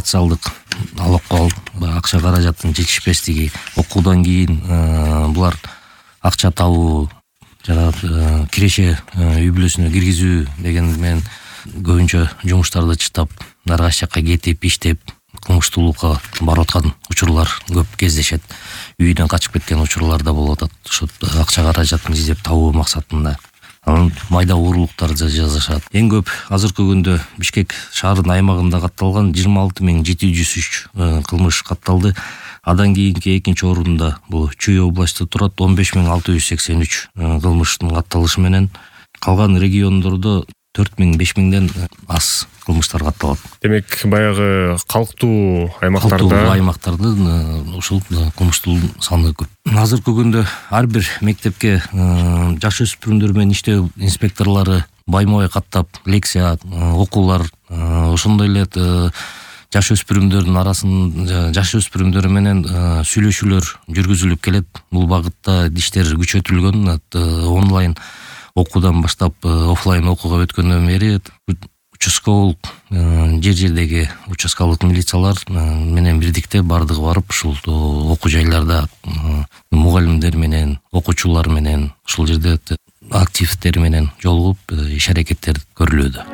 социалдык алакал, акча каражаттын жетишпестиги, окуудан кийин булар акча табуу жана киреше үй бүлөсүнө киргизүү деген менен көбүнчө жумуштарды чыштап ар кайсы жакка кетип иштеп кылмыштуулукка барып аткан учурлар көп кездешет. Үйүнөн качып кеткен учурлар да болуп атат. Ошо акча каражатын издеп табуу максатында анын майда уурулуктарды жасашат. Эң көп азыркы күндө Бишкек шаарынын аймагында катталган 26703 кылмыш катталды. Адан кийинки экинчи орунда бул Чүй областы турат, 15683 кылмыштын катталышы менен. Калган региондордо 4000-5000ден аз кылмыштар катталат. Демек, баягы калктуу аймактардын ушул кылмыштуу саны көп. Азыркы күндө ар бир мектепке жаш өспүрүмдөр менен иштөө инспекторлору байма-бай каттап лекция, окуулар, ошондой эле жаш өспүрүмдөрдүн жаш өспүрүмдөр менен сүйлөшүүлөр жүргүзүлүп келет. Бул багытта иштер күчөтүлгөн. Онлайн окуудан баштап офлайн окууга өткөндөн бери участковый жер-жердеги участкалык милициялар менен бирдикте бардыгы барып ушул окуу жайларда мугалимдер менен, окуучулар менен ушул жерде активдер менен жолугуп иш-аракеттер көрүлүүдө.